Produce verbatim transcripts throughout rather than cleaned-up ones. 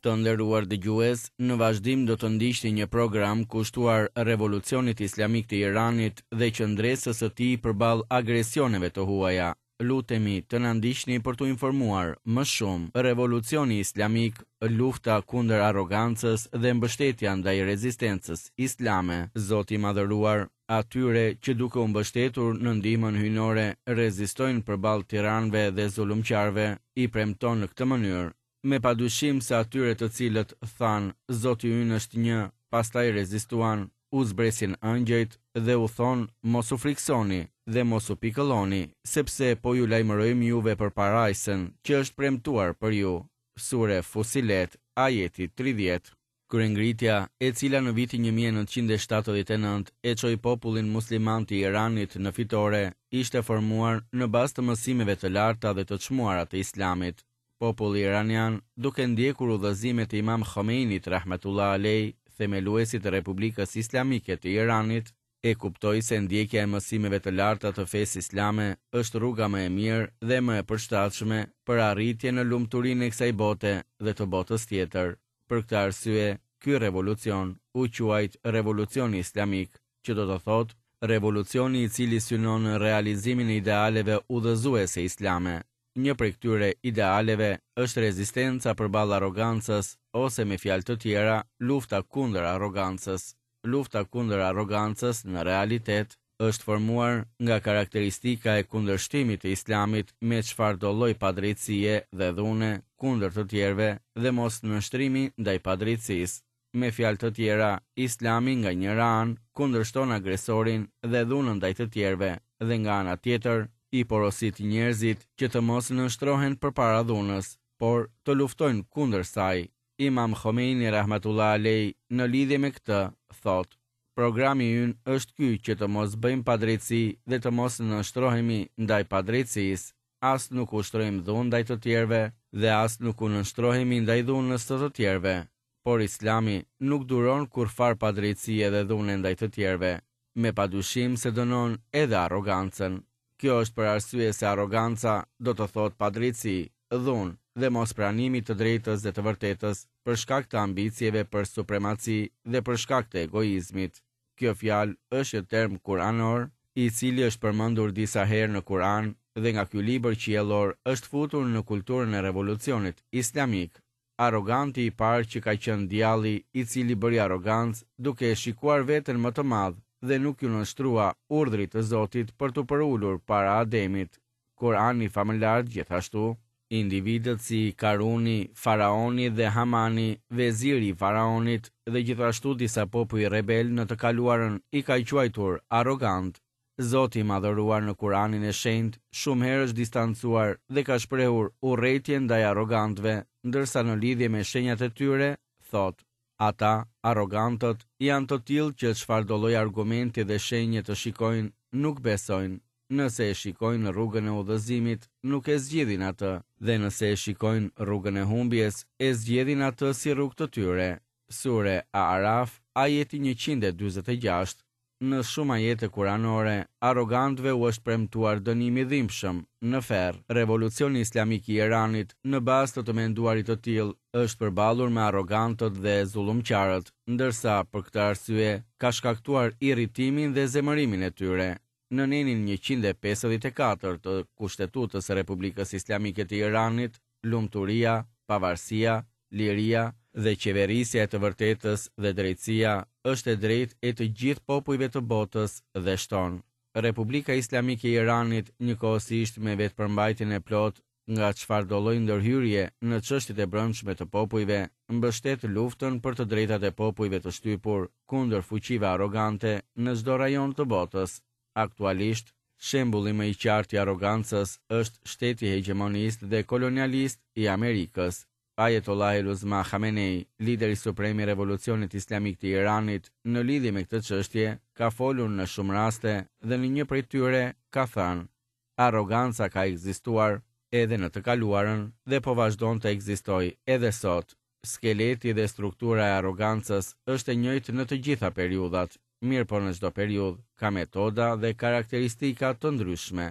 Të nderuar dëgjues, në vazhdim do të ndiqni një program kushtuar Revolucionit Islamik të Iranit dhe qëndresës së tij përballë agresioneve të huaja. Lutemi të na ndiqni për t'u informuar më shumë. Revolucioni Islamik, lufta kundër arrogancës dhe mbështetja ndaj rezistencës islame. Zoti i madhëruar, atyre që duke u mbështetur në ndihmën hyjnore rezistojnë përballë tiranëve dhe zullumqarëve, i premton në këtë mënyrë: Me padyshim se atyre të cilët thanë, Zoti ynë është një, pastaj rezistuan, u zbresin ëngjëjt dhe u thonë, mos u friksoni dhe mos u pikëlloni, sepse po ju lajmërojmë juve për parajsën që është premtuar për ju. Sure Fusilet, ajeti tridhjetë. Kryengritja, e cila në vitin një mijë e nëntëqind e shtatëdhjetë e nëntë e çoi popullin musliman të Iranit në fitore, ishte formuar në bazë të mësimeve të larta dhe të çmuara të Islamit. Populli iranian, duke ndjekur udhëzimet e Imam Khomeinit rahmetullah alej, themeluesit të Republikës Islamike të Iranit, e kuptoi se ndjekja e mësimeve të larta të fesë islame është rruga më e mirë dhe më e përshtatshme për arritjen në lumturinë e kësaj bote dhe të botës tjetër. Për këtë arsye, ky revolucion u quajt Revolucioni Islamik, që do të thotë revolucioni i cili synon realizimin e idealeve udhëzuese islame. Një prej këtyre idealeve është rezistenca përballë arrogancës, ose me fjalë të tjera, lufta kundër arrogancës. Lufta kundër arrogancës në realitet është formuar nga karakteristika e kundërshtimit të Islamit me çfarëdo lloj padrejtësie dhe dhune kundër të tjerëve dhe mos nënshtrimi ndaj padrejtësisë. Me fjalë të tjera, Islami nga njëra anë kundërshton agresorin dhe dhunën ndaj të tjerëve dhe nga ana tjetër i porosit njerëzit që të mos nënshtrohen përpara dhunës, por të luftojnë kundër saj. Imam Khomeini rahmatullah alej në lidhje me këtë thotë: Programi ynë është ky që të mos bëjmë padrejtësi dhe të mos nënshtrohemi ndaj padrejtësisë, as nuk ushtrojmë dhunë ndaj të tjerëve dhe as nuk u nënshtrohemi ndaj dhunës të të tjerëve. Por Islami nuk duron kurrfar padrejtësie dhe dhune ndaj të tjerëve, me padyshim se dënon edhe arrogancën. Kjo është për arsye se arroganca do të thotë padrejtësi, dhunë dhe mos pranimi të drejtës dhe të vërtetës për shkak të ambicieve për supremaci dhe për shkak të egoizmit. Kjo fjalë është një term kuranor, i cili është përmendur disa herë në Kur'an dhe nga ky libër qiellor është futur në kulturën e revolucionit islamik. Arroganti i parë që ka qenë djalli, i cili bëri arrogancë duke e shikuar veten më të madh dhe nuk ju nënshtrua urdhrit të Zotit për t'u përulur para Ademit. Kur'ani famëlart gjithashtu, individët si Karuni, Faraoni dhe Hamani, veziri i Faraonit dhe gjithashtu disa popuj rebel në të kaluarën i ka quajtur arrogant. Zoti i madhëruar në Kur'anin e Shenjtë shumë herë është distancuar dhe ka shprehur urrejtjen ndaj arrogantëve, ndërsa në lidhje me shenjat e tyre thotë: Ata, arrogantët, janë të tillë që çfarëdo lloj argumenti dhe shenje të shikojnë, nuk besojnë. Nëse e shikojnë rrugën e udhëzimit, nuk e zgjidhin atë, dhe nëse e shikojnë rrugën e humbjes, e zgjedhin atë si rrugë të tyre. Sure A'raf, ajeti njëqind e dyzet e gjashtë. Në shumë ajete kuranore, arrogantëve u është premtuar dënimi i dhimbshëm në ferr. Revolucioni Islamik i Iranit, në bazë të të menduarit të tillë, është përballur me arrogantët dhe zullumqarët, ndërsa për këtë arsye ka shkaktuar irritimin dhe zemërimin e tyre. Në nenin njëqind e pesëdhjetë e katër të Kushtetutës së Republikës Islamike të Iranit, lumturia, pavarësia, liria dhe qeverisja e të vërtetës dhe drejtësia është e drejtë e të gjithë popujve të botës dhe shton: Republika Islamike e Iranit, njëkohësisht me vetëpërmbajtjen e plotë nga çfarëdo lloj ndërhyrje në çështjet e brendshme të popujve, mbështet luftën për të drejtat e popujve të shtypur kundër fuqive arrogante në çdo rajon të botës. Aktualisht, shembulli më i qartë i arrogancës është shteti hegjemonist dhe kolonialist i Amerikës. Ayatollah el-Uzma Khamenei, lideri suprem i Revolucionit Islamik të Iranit, në lidhje me këtë çështje, ka folur në shumë raste dhe në një prej tyre ka thënë: Arroganca ka ekzistuar edhe në të kaluarën dhe po vazhdon të ekzistojë edhe sot. Skeleti dhe struktura e arrogancës është e njëjtë në të gjitha periudhat, mirë po në çdo periudhë ka metoda dhe karakteristika të ndryshme.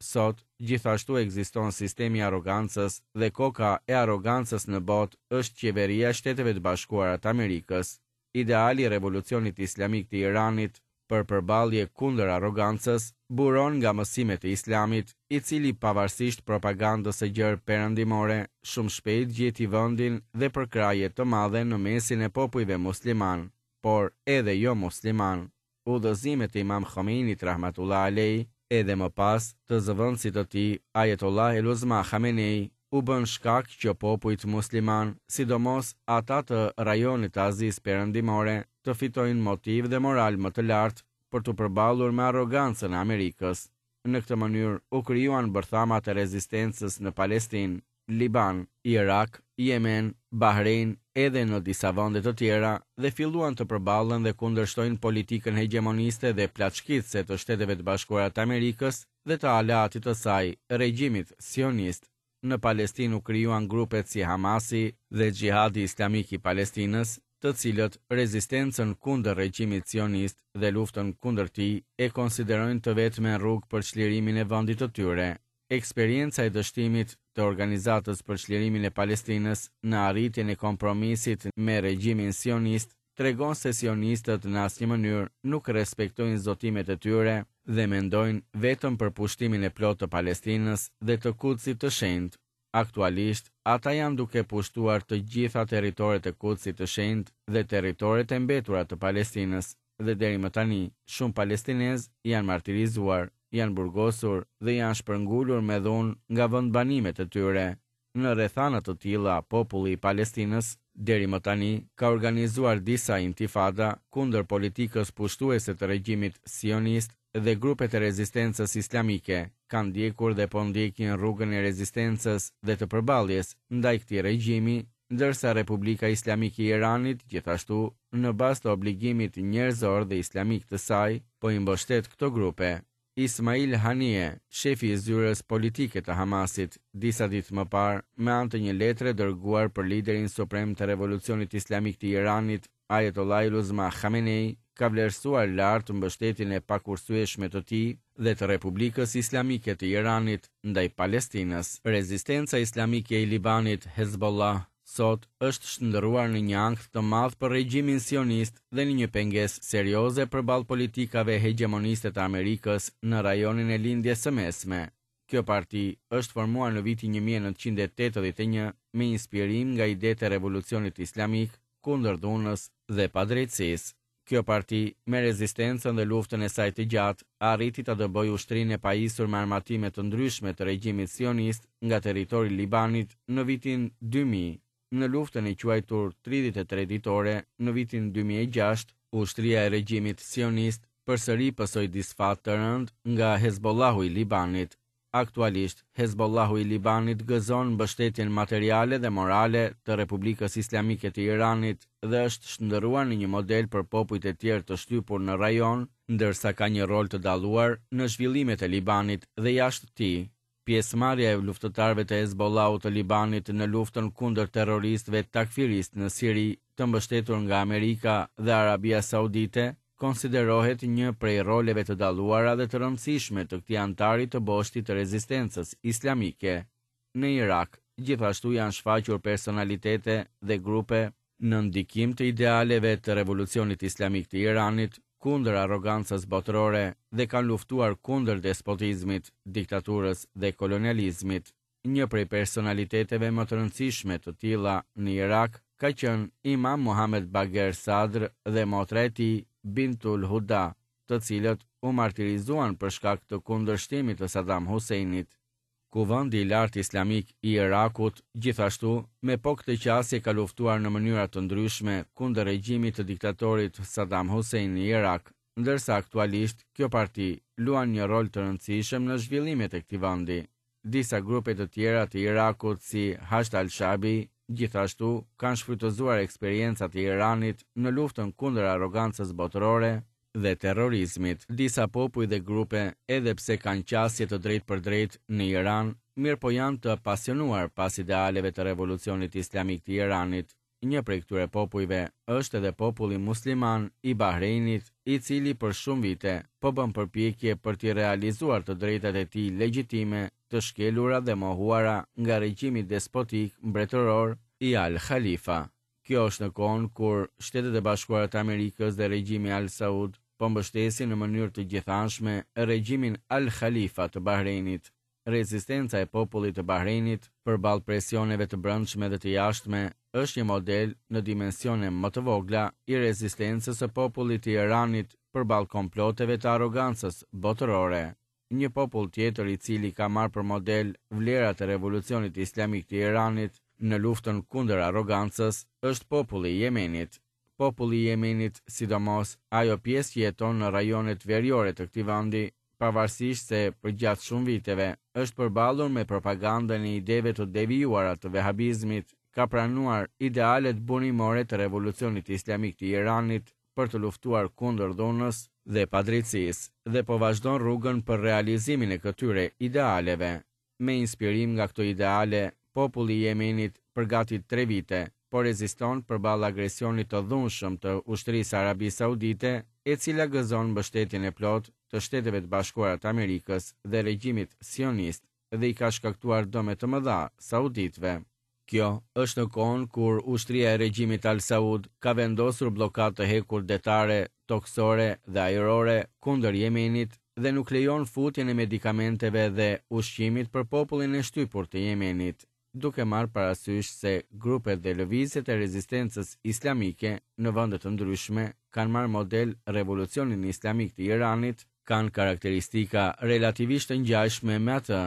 Sot, gjithashtu ekziston sistemi i arrogancës dhe koka e arrogancës në botë është qeveria e Shteteve të Bashkuara të Amerikës. Ideali i Revolucionit Islamik të Iranit për përballje kundër arrogancës buron nga mësimet e Islamit, i cili pavarësisht propagandës së gjerë perëndimore, shumë shpejt gjeti vendin dhe përkrahje të madhe në mesin e popujve musliman, por edhe jo musliman. Udhëzimet e Imam Khomeinit rahmatullah alej, edhe më pas të zëvendësit të tij Ayatollah El-Uzma Khamenei, u bën shkak që popujt musliman, sidomos ata të rajonit të Azisë Perëndimore, të fitojnë motiv dhe moral më të lartë për t'u përballur me arrogancën e Amerikës. Në këtë mënyrë u krijuan bërthamat e rezistencës në Palestinë, Liban, Irak, Jemen, Bahrein, edhe në disa vende të tjera dhe filluan të përballen dhe kundërshtojnë politikën hegjemoniste dhe plaçkitëse të Shteteve të Bashkuara të Amerikës dhe të aleatit të saj, regjimit sionist. Në Palestinë u krijuan grupet si Hamasi dhe Xhihadi Islamik i Palestinës, të cilët rezistencën kundër regjimit sionist dhe luftën kundër tij e konsiderojnë të vetmen rrugë për çlirimin e vendit të tyre. Eksperienca e dështimit të organizatës për çlirimin e Palestinës në arritjen e kompromisit me regjimin sionist tregon se sionistët në asnjë mënyrë nuk respektojnë zotimet e tyre dhe mendojnë vetëm për pushtimin e plotë të Palestinës dhe të Kudsit të Shenjtë. Aktualisht, ata janë duke pushtuar të gjitha territoret e Kudsit të Shenjtë dhe territoret e mbetura të Palestinës, dhe deri më tani, shumë palestinezë janë martirizuar, janë burgosur dhe janë shpërngulur me dhunë nga vendbanimet e tyre. Në rrethana të tilla, populli i Palestinës deri më tani ka organizuar disa intifada kundër politikës pushtuese të regjimit sionist dhe grupet e rezistencës islamike kanë ndjekur dhe po ndjekin rrugën e rezistencës dhe të përballjes ndaj këtij regjimi, ndërsa Republika Islamike e Iranit gjithashtu në bazë të obligimit njerëzor dhe islamik të saj po i mbështet këto grupe. Ismail Haniyeh, shefi i zyrës politike të Hamasit, disa ditë më parë, me anë të një letre dërguar për liderin suprem të Revolucionit Islamik të Iranit, Ayatollah El-Uzma Khamenei, ka vlerësuar lart mbështetjen e pakursyeshme të tij dhe të Republikës Islamike të Iranit ndaj Palestinës. Rezistenca islamike e Libanit, Hezbollah, sot është shndërruar në një ankth të madh për regjimin sionist dhe në një pengesë serioze përballë politikave hegjemoniste të Amerikës në rajonin e Lindjes së Mesme. Kjo parti është formuar në vitin një mijë e nëntëqind e tetëdhjetë e një me inspirim nga idetë e Revolucionit Islamik kundër dhunës dhe padrejtësisë. Kjo parti, me rezistencën dhe luftën e saj të gjatë, arriti ta dëbojë ushtrinë e pajisur me armatime të ndryshme të regjimit sionist nga territori i Libanit në vitin dy mijë. Në luftën e quajtur tridhjetë e tre ditore në vitin dy mijë e gjashtë, ushtria e regjimit sionist përsëri pësoi disfat të rëndë nga Hezbollahu i Libanit. Aktualisht, Hezbollahu i Libanit gëzon mbështetjen materiale dhe morale të Republikës Islamike të Iranit dhe është shndërruar në një model për popujt e tjerë të shtypur në rajon, ndërsa ka një rol të dalluar në zhvillimet e Libanit dhe jashtë tij. Pjesëmarrja e luftëtarëve të Hezbollahut të Libanit në luftën kundër terroristëve takfiristë në Siri, të mbështetur nga Amerika dhe Arabia Saudite, konsiderohet një prej roleve të dalluara dhe të rëndësishme të këtij antari të boshtit të rezistencës islamike. Në Irak, gjithashtu janë shfaqur personalitete dhe grupe në ndikim të idealeve të Revolucionit Islamik të Iranit kundër arrogancës botërore dhe kanë luftuar kundër despotizmit, diktaturës dhe kolonializmit. Një prej personaliteteve më të rëndësishme të tilla në Irak ka qenë Imam Muhammed Bagher Sadr dhe motra e tij Bintul Huda, të cilët u martirizuan për shkak të kundërshtimit të Saddam Husseinit. Kuvendi i Lartë Islamik i Irakut, gjithashtu, me po këtë qasje ka luftuar në mënyra të ndryshme kundër regjimit të diktatorit Saddam Hussein në Irak, ndërsa aktualisht kjo parti luan një rol të rëndësishëm në zhvillimet e këtij vendi. Disa grupe të tjera të Irakut si Hashd al-Shabi gjithashtu kanë shfrytëzuar eksperiencat e Iranit në luftën kundër arrogancës botërore dhe terrorizmit. Disa popuj dhe grupe, edhe pse kanë qasje të drejtë për drejtë në Iran, mirë po janë të pasionuar pas idealeve të Revolucionit Islamik të Iranit. Një prej këtyre popujve është edhe populli musliman i Bahreinit, i cili për shumë vite po bën përpjekje për t'i realizuar të drejtat e tij legjitime të shkelura dhe mohuara nga regjimi despotik mbretëror i Al Khalifa. Kjo është në kohën kur Shtetet e Bashkuara të Amerikës dhe regjimi Al Saud po mbështesin në mënyrë të gjithanshme regjimin Al Khalifa të Bahreinit. Rezistenca e popullit të Bahreinit përballë presioneve të brendshme dhe të jashtme është një model në dimensione më të vogla i rezistencës së popullit të Iranit përballë komploteve të arrogancës botërore. Një popull tjetër i cili ka marrë për model vlerat e revolucionit islamik të Iranit në luftën kundër arrogancës është populli i Jemenit. Populli i Jemenit, sidomos ajo pjesë që jeton në rajonet veriore të këtij vendi, pavarësisht se përgjatë shumë viteve është përballur me propagandën e ideve të devijuara të vehabizmit, ka pranuar idealet burimore të revolucionit islamik të Iranit për të luftuar kundër dhunës dhe padrejtësisë dhe po vazhdon rrugën për realizimin e këtyre idealeve. Me inspirim nga këto ideale, populli i Jemenit për gati tre vite po reziston përballë agresionit të dhunshëm të ushtrisë Arabisë Saudite, e cila gëzon mbështetjen e plotë të Shteteve të Bashkuara të Amerikës dhe regjimit sionist dhe i ka shkaktuar dëme të mëdha sauditëve. Kjo është në kohën kur ushtria e regjimit Al Saud ka vendosur bllokadë të hekurt detare, tokësore dhe ajrore kundër Jemenit dhe nuk lejon futjen e medikamenteve dhe ushqimit për popullin e shtypur të Jemenit, duke marrë parasysh se grupet dhe lëvizjet e rezistencës islamike në vende të ndryshme kanë marrë model revolucionin islamik të Iranit, kanë karakteristika relativisht të ngjashme me atë.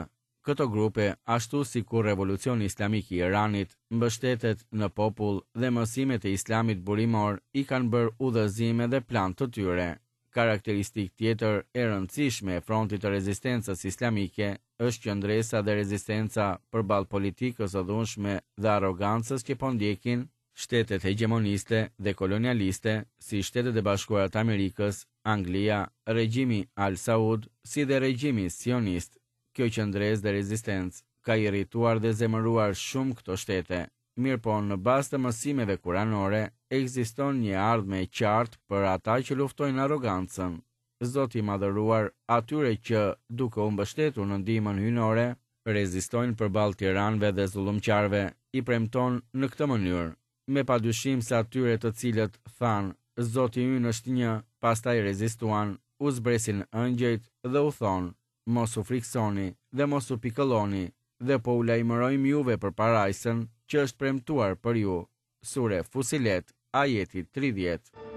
Këto grupe, ashtu sikur revolucioni islamik i Iranit, mbështetet në popull dhe mësimet e islamit burimor i kanë bërë udhëzime dhe plan të tyre. Karakteristik tjetër e rëndësishme e frontit të rezistencës islamike është qëndresa dhe rezistenca përballë politikës së dhunshme dhe arrogancës që po ndjekin shtetet hegjemoniste dhe kolonialiste si Shtetet e Bashkuara të Amerikës, Anglia, regjimi Al Saud, si dhe regjimi sionist. Kjo qëndresë dhe rezistencë ka irrituar dhe zemëruar shumë këto shtete. Mirëpo, në bazë të mësimeve kuranore, ekziston një ardhme e qartë për ata që luftojnë arrogancën. Zoti i madhëruar atyre që, duke u mbështetur në ndihmën hyjnore, rezistojnë përballë tiranëve dhe zullumqarëve, i premton në këtë mënyrë: me padyshim se atyre të cilët thanë, Zoti ynë është një, pastaj rezistuan, u zbresin ëngjëjt dhe u thonë: mos u friksoni dhe mos u pikëlloni, dhe po u lajmërojmë juve për parajsën që është premtuar për ju. Sure Fusilet, ajeti tridhjetë.